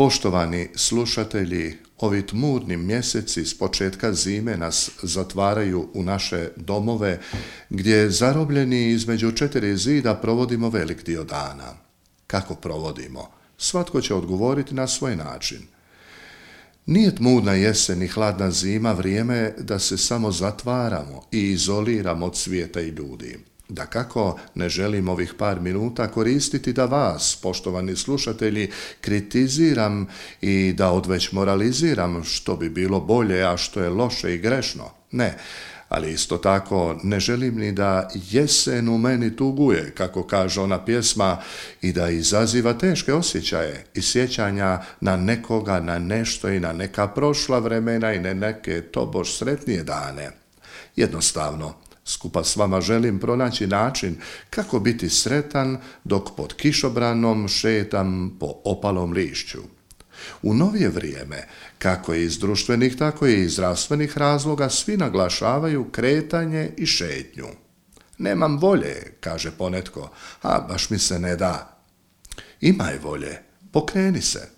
Poštovani slušatelji, ovi tmurni mjeseci s početka zime nas zatvaraju u naše domove, gdje zarobljeni između četiri zida provodimo velik dio dana. Kako provodimo? Svatko će odgovoriti na svoj način. Nije tmurna jesen i hladna zima vrijeme da se samo zatvaramo i izoliramo od svijeta i ljudi. Dakako, ne želim ovih par minuta koristiti da vas, poštovani slušatelji, kritiziram i da odveć moraliziram što bi bilo bolje, a što je loše i grešno. Ne, ali isto tako ne želim ni da jesen u meni tuguje, kako kaže ona pjesma, i da izaziva teške osjećaje i sjećanja na nekoga, na nešto i na neka prošla vremena i na neke tobož sretnije dane. Jednostavno, skupa s vama želim pronaći način kako biti sretan dok pod kišobranom šetam po opalom lišću. U novije vrijeme, kako iz društvenih, tako i iz zdravstvenih razloga, svi naglašavaju kretanje i šetnju. Nemam volje, kaže ponetko, a baš mi se ne da. Imaj volje, pokreni se.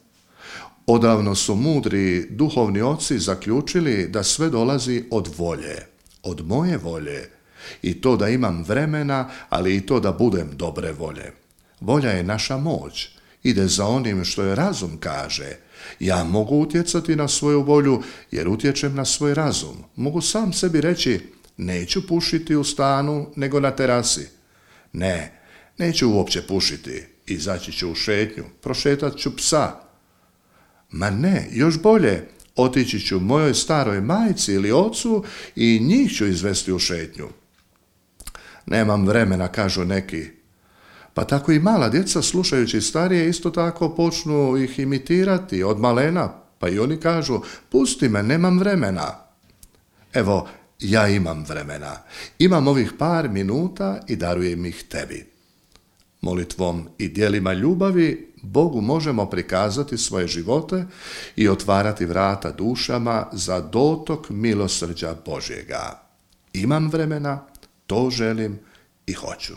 Odavno su mudri duhovni oci zaključili da sve dolazi od volje, od moje volje, i to da imam vremena, ali i to da budem dobre volje. Volja je naša moć, ide za onim što je razum kaže. Ja mogu utjecati na svoju volju jer utječem na svoj razum. Mogu sam sebi reći, neću pušiti u stanu nego na terasi. Ne, neću uopće pušiti, izaći ću u šetnju, prošetat ću psa. Ma ne, još bolje, otići ću mojoj staroj majci ili ocu i njih ću izvesti u šetnju. Nemam vremena, kažu neki. Pa tako i mala djeca, slušajući starije, isto tako počnu ih imitirati od malena, pa i oni kažu, pusti me, nemam vremena. Evo, ja imam vremena. Imam ovih par minuta i darujem ih tebi. Molitvom i djelima ljubavi Bogu možemo prikazati svoje živote i otvarati vrata dušama za dotok milosrđa Božjega. Imam vremena, to želim i hoću.